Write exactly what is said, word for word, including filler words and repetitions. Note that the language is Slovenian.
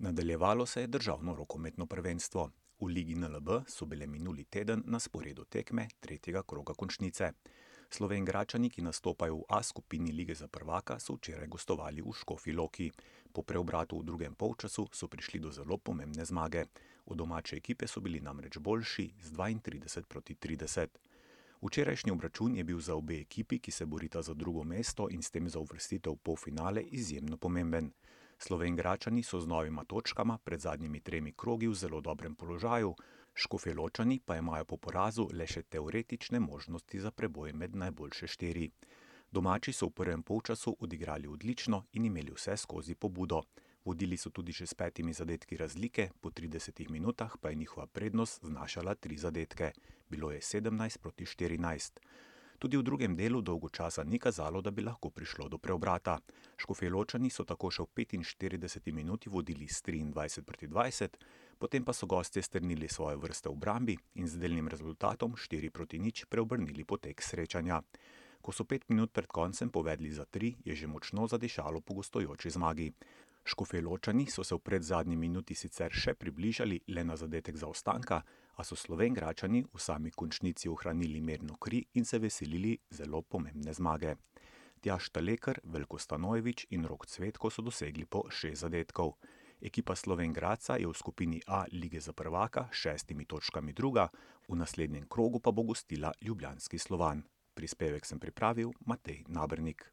Nadaljevalo se je državno rokometno prvenstvo. V Ligi N L B so bile minuli teden na sporedu tekme tretjega kroga končnice. Slovenjgračani, ki nastopajo v A skupini Lige za prvaka, so včeraj gostovali v Škofji Loki. Po preobratu v drugem polčasu so prišli do zelo pomembne zmage. Od domače ekipe so bili namreč boljši z dvaintrideset proti trideset. Včerajšnji obračun je bil za obe ekipi, ki se borita za drugo mesto in s tem za uvrstitev v polfinale, izjemno pomemben. Slovenjgračani so z novima točkama pred zadnjimi tremi krogi v zelo dobrem položaju, Škofjeločani pa imajo po porazu le še teoretične možnosti za preboj med najboljše štiri. Domači so v prvem polčasu odigrali odlično in imeli vse skozi pobudo. Vodili so tudi že s petimi zadetki razlike, po tridesetih minutah pa je njihova prednost znašala tri zadetke. Bilo je sedemnajst proti štirinajst. Tudi v drugem delu dolgo časa ni kazalo, da bi lahko prišlo do preobrata. Škofjeločani so tako še v petinštirideseti minuti vodili s triindvajset proti dvajset, potem pa so gostje strnili svoje vrste v obrambi in z delnim rezultatom štiri proti nič preobrnili potek srečanja. Ko so pet minut pred koncem povedli za tri, je že močno zadišalo po gostujoči zmagi. Škofjeločani so se v predzadnji minuti sicer še približali le na zadetek zaostanka, a so Slovenjgračani v sami končnici ohranili mirno kri in se veselili zelo pomembne zmage. Tjaž Talekar, Veljko Stanojević in Rok Cvetko so dosegli po šest zadetkov. Ekipa Slovenj Gradca je v skupini A Lige za prvaka s šestimi točkami druga, v naslednjem krogu pa bo gostila ljubljanski Slovan. Prispevek sem pripravil Matej Nabernik.